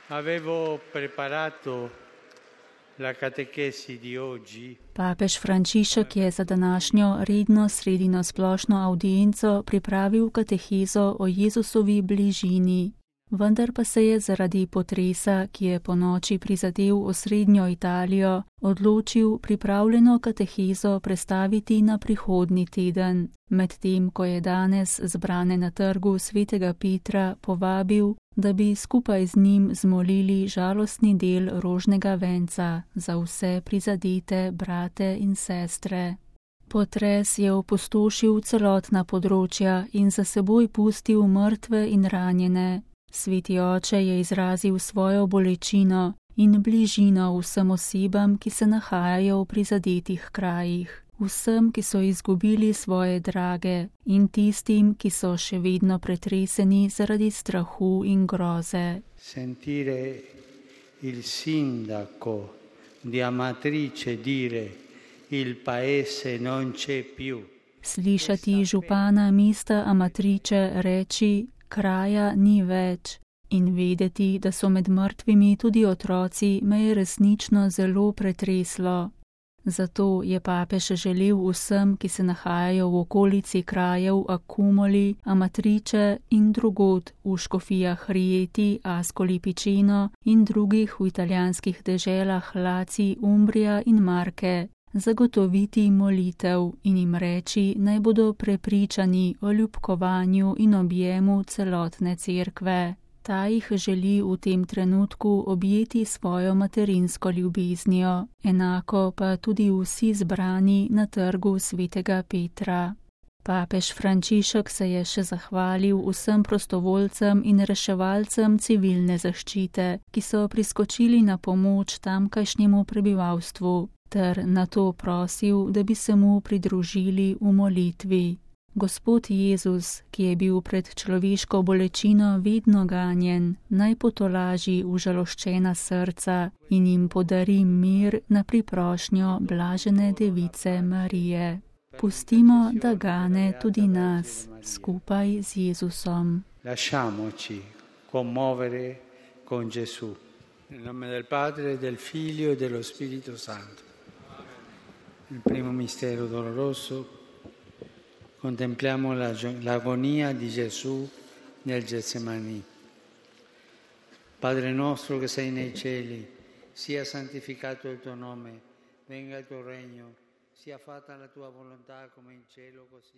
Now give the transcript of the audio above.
Avevo preparato la catechesi di oggi. Papež Frančišek je za današnjo redno sredino splošno avdienco pripravil katehezo o Jezusovi bližini. Vendar pa se je zaradi potresa, ki je ponoči prizadel osrednjo Italijo, odločil pripravljeno katehezo prestaviti na prihodnji teden, medtem ko je danes zbrane na trgu svetega Petra povabil, da bi skupaj z njim zmolili žalostni del rožnega venca za vse prizadete brate in sestre. Potres je opustošil celotna področja in za seboj pustil mrtve in ranjene. Sveti oče je izrazil svojo bolečino in bližino vsem osebam, ki se nahajajo v prizadetih krajih, vsem, ki so izgubili svoje drage in tistim, ki so še vedno pretreseni zaradi strahu in groze. Sentire il sindaco di Amatrice dire il paese non c'è più. Slišati župana mesta Amatrice reči, kraja ni več, in vedeti, da so med mrtvimi tudi otroci, me je resnično zelo pretreslo. Zato je papež želel vsem, ki se nahajajo v okolici krajev Accumoli, Amatrice in drugod v škofijah Rieti, Ascoli Piceno in drugih v italijanskih deželah Laci, Umbrija in Marke, zagotoviti molitev in jim reči, naj bodo prepričani o ljubkovanju in objemu celotne cerkve. Ta jih želi v tem trenutku objeti svojo materinsko ljubeznijo, enako pa tudi vsi zbrani na trgu svetega Petra. Papež Frančišek se je še zahvalil vsem prostovoljcem in reševalcem civilne zaščite, ki so priskočili na pomoč tamkajšnjemu prebivalstvu, ter nato prosil, da bi se mu pridružili v molitvi. Gospod Jezus, ki je bil pred človeško bolečino vedno ganjen, naj potolaži užaloščena srca in jim podari mir na priprošnjo blažene device Marije. Pustimo, da gane tudi nas, skupaj z Jezusom. Lasciamoci commuovere con Gesù. Nel nome del Padre, del Figlio e dello Spirito Santo. Il primo mistero doloroso, contempliamo l'agonia di Gesù nel Getsemani. Padre nostro che sei nei cieli, sia santificato il tuo nome, venga il tuo regno, sia fatta la tua volontà come in cielo così.